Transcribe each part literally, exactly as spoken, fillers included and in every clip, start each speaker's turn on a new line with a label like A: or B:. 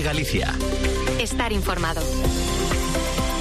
A: Galicia.
B: Estar informado.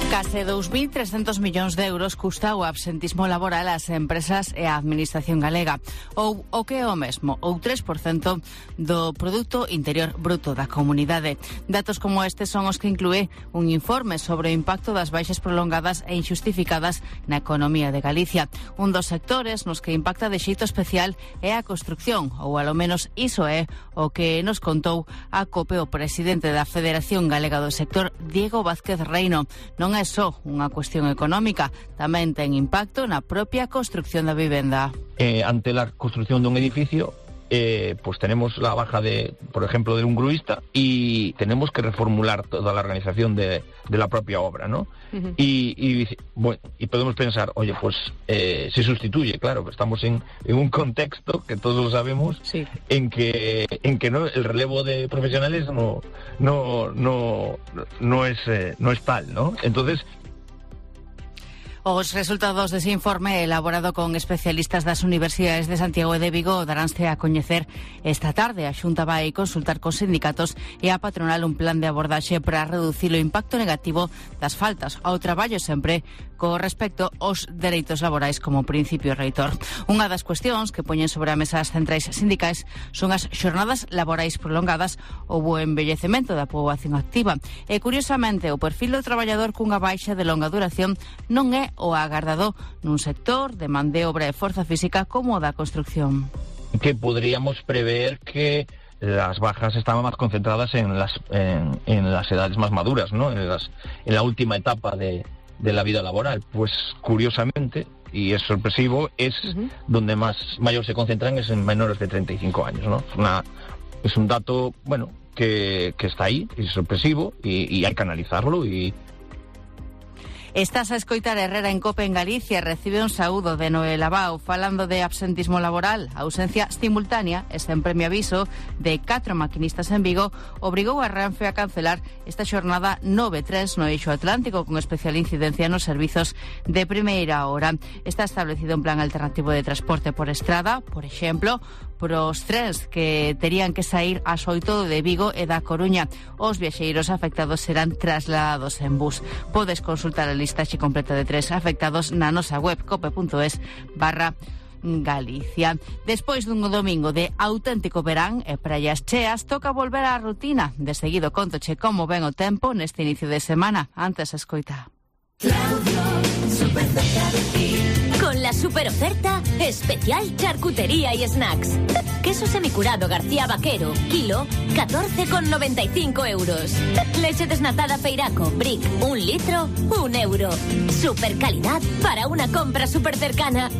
C: Case dous mil trescentos millóns de euros custa o absentismo laboral ás empresas e á administración galega, ou o que é o mesmo, ou tres por cento do Produto Interior Bruto da comunidade. Datos como este son os que inclúe un informe sobre o impacto das baixas prolongadas e injustificadas na economía de Galicia. Un dos sectores nos que impacta de xeito especial é a construcción, ou alo menos iso é o que nos contou a COPE o presidente da Federación Galega do Sector, Diego Vázquez Reino. Non é só unha cuestión económica, tamén ten impacto na propia construcción da vivenda.
D: Eh, ante la construcción de un edificio, eh, pues tenemos la baja de, por ejemplo, de un gruista y tenemos que reformular toda la organización de, de la propia obra, ¿no? Uh-huh. Y, y, bueno, y podemos pensar, oye, pues eh, se sustituye, claro, estamos en, en un contexto que todos lo sabemos, sí. en que en que no el relevo de profesionales no no no no es eh, no es tal, ¿no? Entonces,
C: os resultados dese informe elaborado con especialistas das Universidades de Santiago e de Vigo daránse a coñecer esta tarde. A Xunta vai consultar cos sindicatos e a patronal un plan de abordaxe para reducir o impacto negativo das faltas ao traballo sempre co respecto aos dereitos laborais como principio reitor. Unha das cuestións que poñen sobre a mesa as centrais sindicais son as xornadas laborais prolongadas ou o envellecemento da poboación activa. E, curiosamente, o perfil do traballador cunha baixa de longa duración non é o agardado nun sector de man de obra e forza física como o da construcción.
D: Que podríamos prever que las bajas estaban más concentradas en las en, en las edades más maduras, ¿no? En las en la última etapa de, de la vida laboral. Pues curiosamente, y es sorpresivo, es uh-huh. donde más mayor se concentran es en menores de treinta y cinco años, ¿no? Es una es un dato, bueno, que, que está ahí, es sorpresivo y, y hay que analizarlo y
C: Estás a escoitar Herrera en Cope en Galicia. Recibe un saúdo de Noel Abao falando de absentismo laboral. A ausencia simultánea e sen premio aviso de catro maquinistas en Vigo obrigou a Renfe a cancelar esta xornada nove tres no eixo atlántico con especial incidencia nos servizos de primeira hora. Está establecido un plan alternativo de transporte por estrada, por exemplo, pros trens que terían que sair ás oito de Vigo e da Coruña. Os viaxeiros afectados serán trasladados en bus. Podes consultar a listaxe completa de tres afectados na nosa web cope.es barra Galicia. Despois dun domingo de auténtico verán e praias cheas, toca volver á rutina. De seguido contoche como ven o tempo neste inicio de semana. Antes escoita.
E: Claudio, super cerca de ti. Con la super oferta especial charcutería y snacks. Queso semicurado García Vaquero, kilo, catorce con noventa y cinco euros. Leche desnatada Feiraco, Brick, un litro, un euro. Super calidad para una compra super cercana.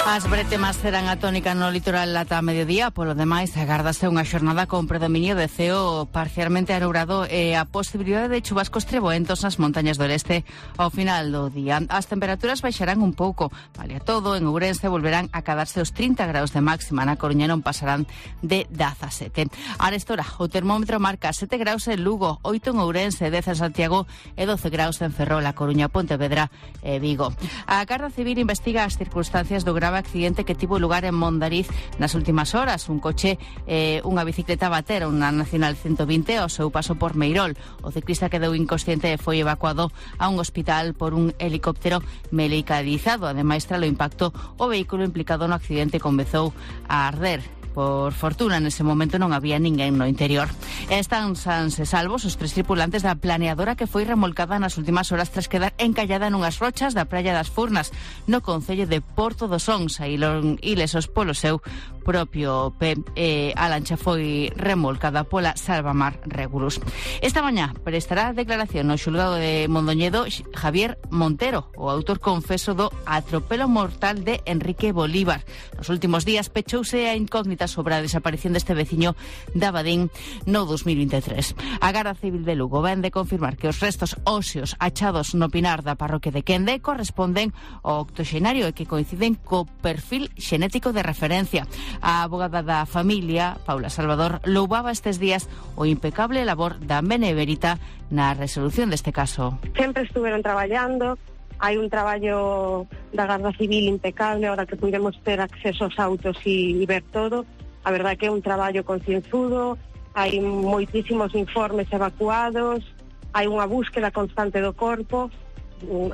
C: As bretemas serán a tónica no litoral ata mediodía. Polo demais, agárdase unha xornada con predominio de ceo parcialmente anubrado e a posibilidade de chubascos treboentos nas montañas do leste ao final do día. As temperaturas baixarán un pouco. Vale a todo, en Ourense volverán a cadarse os trinta graus de máxima. Na Coruña non pasarán de dezasete. Arestora, o termómetro marca sete graus en Lugo, oito en Ourense, dez en Santiago e doce graus en Ferrol, a Coruña, Pontevedra e Vigo. A Garda Civil investiga as circunstancias do grave accidente que tivo lugar en Mondariz nas últimas horas. Un coche e eh, unha bicicleta batera unha Nacional ciento vinte ao seu paso por Meirol. O ciclista quedou inconsciente e foi evacuado a un hospital por un helicóptero medicalizado. Ademais, tralo impacto, o vehículo implicado no accidente comezou a arder. Por fortuna, nese momento non había ninguén no interior. Están sans e salvos os tres tripulantes da planeadora que foi remolcada nas últimas horas tras quedar encallada nunhas rochas da praia das Furnas, no concello de Porto dos Ons, saíron ilesos polo seu propio pé. E a lancha foi remolcada pola Salvamar Regulus. Esta mañá prestará declaración no xulgado de Mondoñedo Javier Montero, o autor confeso do atropelo mortal de Enrique Bolívar. Nos últimos días pechouse a incógnita sobre a desaparición deste veciño de Abadín no dos mil vinte e tres. A Garda Civil de Lugo ven de confirmar que os restos óseos achados no pinar da parroquia de Quende corresponden ao octoxenario e que coinciden co perfil xenético de referencia. A abogada da familia, Paula Salvador, loubaba estes días o impecable labor da Beneverita na resolución deste caso.
F: Sempre estuveron traballando. Hai un traballo da Garda Civil impecable, ahora que podemos ter acceso aos autos e, e ver todo, A verdade que é un traballo concienzudo, hai moitísimos informes evacuados, hai unha búsqueda constante do corpo.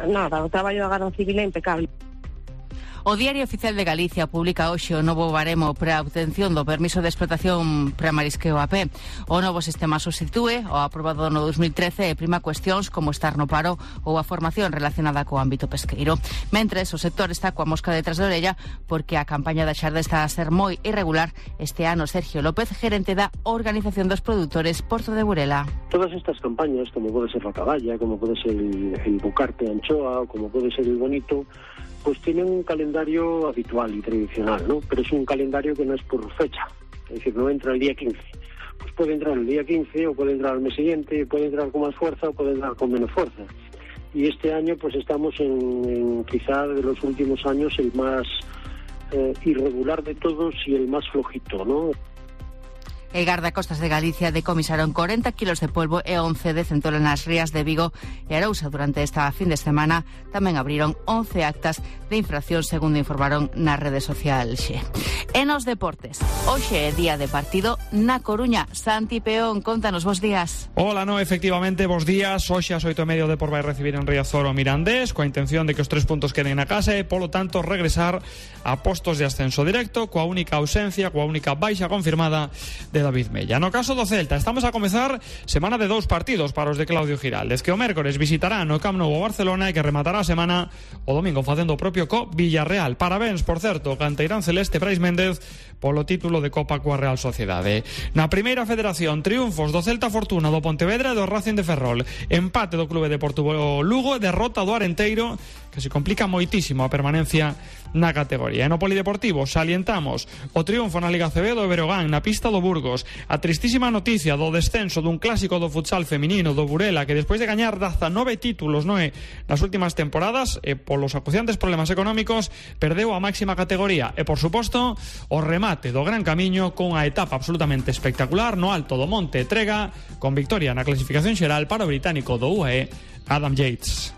F: Nada, o traballo da Garda Civil é impecable.
C: O Diario Oficial de Galicia publica hoxe o novo baremo para a obtención do permiso de explotación para marisqueo a pé. O novo sistema substitúe o aprobado no dos mil trece e prima cuestións como estar no paro ou a formación relacionada co ámbito pesqueiro. Mentres, o sector está coa mosca detrás da orella porque a campaña da xarda está a ser moi irregular. Este ano, Sergio López, gerente da Organización dos Produtores Porto de Burela.
A: Todas estas campañas, como pode ser a caballa, como pode ser el, el bucarte anchoa, o como pode ser el bonito, pues tienen un calendario habitual y tradicional, ¿no? Pero es un calendario que no es por fecha, es decir, no entra el día quince. Pues puede entrar el día quince o puede entrar al mes siguiente, puede entrar con más fuerza o puede entrar con menos fuerza. Y este año pues estamos en, en quizá de los últimos años el más eh, irregular de todos y el más flojito, ¿no?
C: E Gardacostas de Galicia decomisaron corenta kilos de polvo e once de centolo nas rías de Vigo e Arousa durante esta fin de semana. Tamén abriron once actas de infracción, segundo informaron na rede social Xe. E nos deportes, hoxe é día de partido na Coruña. Santi Peón, contanos, bos días.
G: Hola, no, efectivamente, bos días. Hoxe ás oito e media o Depor vai recibir en Riazor o Mirandés, coa intención de que os tres puntos queden na casa e, polo tanto, regresar a postos de ascenso directo, coa única ausencia, coa única baixa confirmada de David Mella. No caso do Celta, estamos a comezar semana de dous partidos para os de Claudio Giraldes, que o mércores visitará no Camp Nou o Barcelona e que rematará a semana o domingo facendo o propio co Villarreal. Parabéns, por certo, canteirán celeste Brais Méndez polo título de Copa coa Real Sociedade. Na primeira federación, triunfos do Celta Fortuna, do Pontevedra e do Racing de Ferrol. Empate do Clube Deportivo Lugo, derrota do Arenteiro, que se complica moitísimo a permanencia na categoría. E no polideportivo salientamos o triunfo na Liga C B do Berogán na pista do Burgos, a tristísima noticia do descenso dun clásico do futsal feminino do Burela, que despois de gañar dezanove títulos noe nas últimas temporadas e polos acuciantes problemas económicos perdeu a máxima categoría. E por suposto o remate do gran camiño con a etapa absolutamente espectacular no alto do Monte Trega, con victoria na clasificación xeral para o británico do U A E Adam Yates.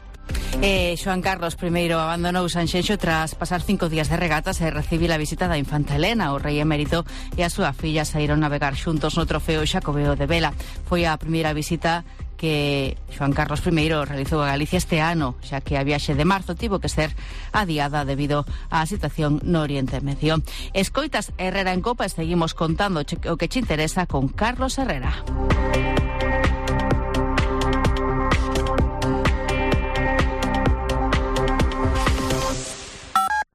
C: Eh, Xoán Carlos primeiro abandonou Sanxenxo tras pasar cinco días de regatas e recibir a visita da infanta Elena. O rei emérito e a súa filla saíron navegar xuntos no trofeo Xacobeo de Vela. Foi a primeira visita que Xoán Carlos primeiro realizou a Galicia este ano, xa que a viaxe de marzo tivo que ser adiada debido á situación no Oriente Medio. Escoitas Herrera en Copa e seguimos contando o que che interesa con Carlos Herrera.